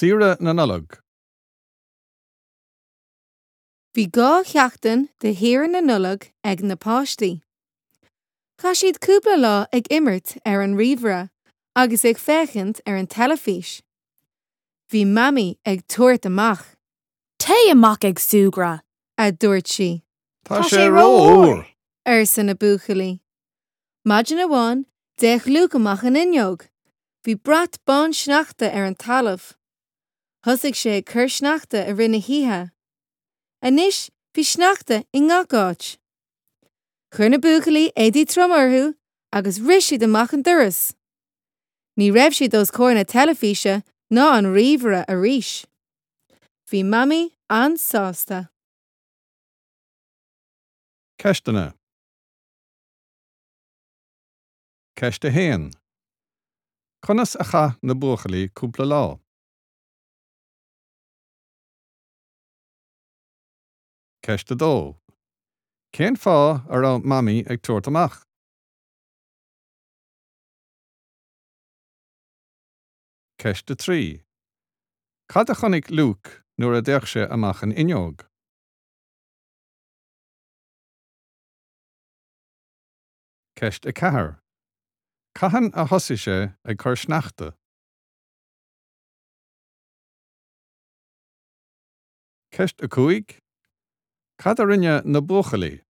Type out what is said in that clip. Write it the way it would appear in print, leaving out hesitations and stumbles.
Saoire na Nollag. Bhí 2 sheachtain de shaoire na Nollag ag na páistí. Chaith siad cúpla lá ag imirt ar an ríomhaire agus ag féachaint ar an teilifís. Bhí Mamaí ag tabhairt amach. Téigh amach ag súgradh! a dúirt sí. Tá sé rófhuar! arsa na buachaillí. Maidin amháin, d'fhéach Luke amach an fhuinneog. Bhí brat bán sneachta ar an talamh. Thosaigh sé ag cur sneachta i rith na hoíche. Anois bhí sneachta i ngach áit. Chuir na buachaillí éadaí troma orthu agus rith siad amach an doras. Ní raibh siad os comhair na teilifíse ná an ríomhaire arís. Bhí Mamaí an-sásta. Ceisteanna. Ceist 1. Conas a chaith na buachaillí cúpla lá? Ceist 2. Cén fáth a raibh Mamaí ag tabhairt amach? Ceist 3. Cad a chonaic Luke nuair a d'fhéach sé amach an fhuinneog? Ceist 4. Cathain a thosaigh sé ag cur sneachta? Ceist 5. Cad a rinne na buachaillí?